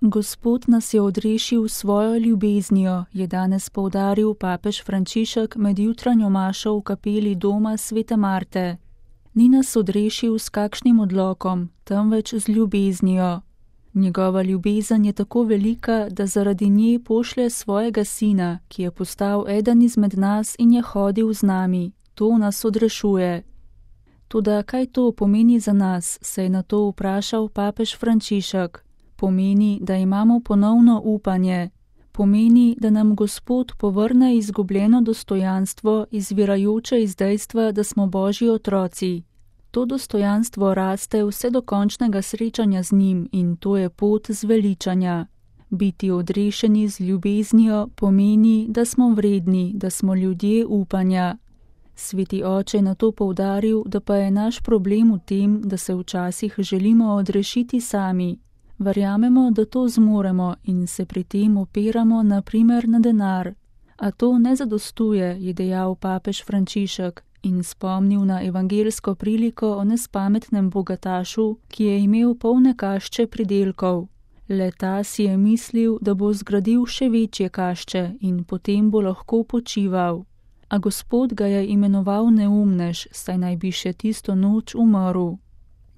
Gospod nas je odrešil s svojo ljubeznijo, je danes poudaril papež Frančišek med jutranjo mašo v kapeli doma svete Marte. Ni nas odrešil s kakšnim odlokom, temveč z ljubeznijo. Njegova ljubezen je tako velika, da zaradi nje pošlje svojega sina, ki je postal eden izmed nas in je hodil z nami. To nas odrešuje. Toda kaj to pomeni za nas, se je na to vprašal papež Frančišek. Pomeni, da imamo ponovno upanje. Pomeni, da nam Gospod povrne izgubljeno dostojanstvo, izvirajoče iz dejstva, da smo Božji otroci. To dostojanstvo raste vse do končnega srečanja z njim in to je pot zveličanja. Biti odrešeni z ljubeznijo pomeni, da smo vredni, da smo ljudje upanja. Sveti oče je na to poudaril, da pa je naš problem v tem, da se včasih želimo odrešiti sami. Verjamemo, da to zmoremo in se pri tem opiramo na primer na denar. A to ne zadostuje, je dejal papež Frančišek in spomnil na evangeljsko priliko o nespametnem bogatašu, ki je imel polne kašče pridelkov. Le ta si je mislil, da bo zgradil še večje kašče in potem bo lahko počival. A Gospod ga je imenoval neumnež, saj naj bi še tisto noč umrl.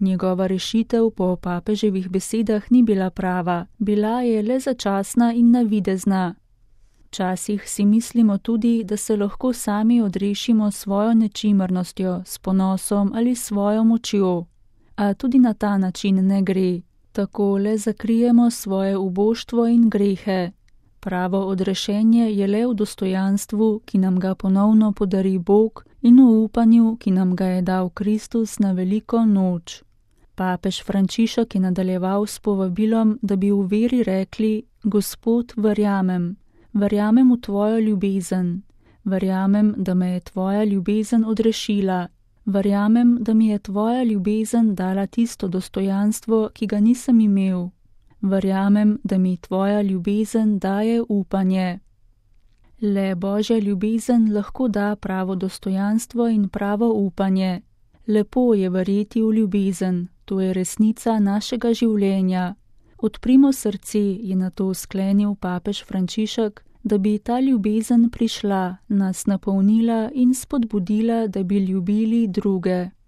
Njegova rešitev po papeževih besedah ni bila prava, bila je le začasna in navidezna. Včasih si mislimo tudi, da se lahko sami odrešimo s svojo nečimrnostjo, s ponosom ali svojo močjo. A tudi na ta način ne gre. Tako le zakrijemo svoje uboštvo in grehe. Pravo odrešenje je le v dostojanstvu, ki nam ga ponovno podari Bog, in v upanju, ki nam ga je dal Kristus na veliko noč. Papež Frančišek je nadaljeval s povabilom, da bi v veri rekli: Gospod, verjamem. Verjamem v tvojo ljubezen. Verjamem, da me je tvoja ljubezen odrešila. Verjamem, da mi je tvoja ljubezen dala tisto dostojanstvo, ki ga nisem imel. Verjamem, da mi tvoja ljubezen daje upanje. Le Božja ljubezen lahko da pravo dostojanstvo in pravo upanje. Lepo je verjeti v ljubezen, to je resnica našega življenja. Odprimo srce, je na to sklenil papež Frančišek, da bi ta ljubezen prišla, nas napolnila in spodbudila, da bi ljubili druge.